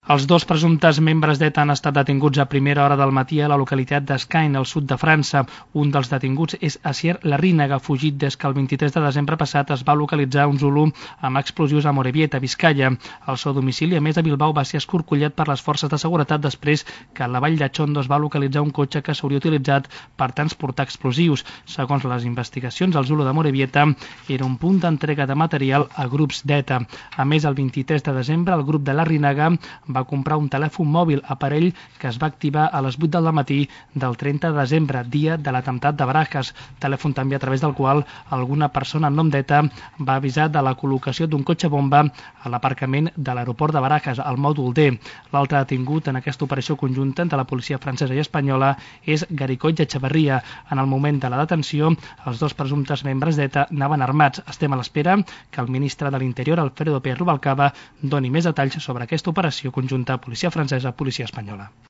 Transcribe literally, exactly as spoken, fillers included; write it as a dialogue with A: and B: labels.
A: Els dos presumptes membres d'ETA han estat detinguts a primera hora del matí a la localitat d'Escain, al sud de França. Un dels detinguts és Asier Larrinaga, fugit des que el vint-i-tres de desembre passat es va localitzar un Zulu amb explosius a Morevieta, Vizcaya. El seu domicili, a més a Bilbao, va ser escorcollat per les forces de seguretat després que a la vall de Chondo es va localitzar un cotxe que s'hauria utilitzat per transportar explosius. Segons les investigacions, el Zulu de Morevieta era un punt d'entrega de material a grups d'ETA. A més, el vint-i-tres de desembre, el grup de Larrinaga va va comprar un telèfon mòbil, aparell que es va activar a les vuit del matí del trenta de desembre, dia de l'atemptat de Barajas, telèfon també a través del qual alguna persona en nom d'ETA va avisar de la col·locació d'un cotxe bomba a l'aparcament de l'aeroport de Barajas, al mòdul D. L'altre detingut en aquesta operació conjunta entre la policia francesa i espanyola és Garicoll Echeverría. En el moment de la detenció, els dos presumptes membres d'ETA anaven armats. Estem a l'espera que el ministre de l'Interior, Alfredo Pérez Rubalcaba, doni més detalls sobre aquesta operació conjunta policia francesa, policia espanyola.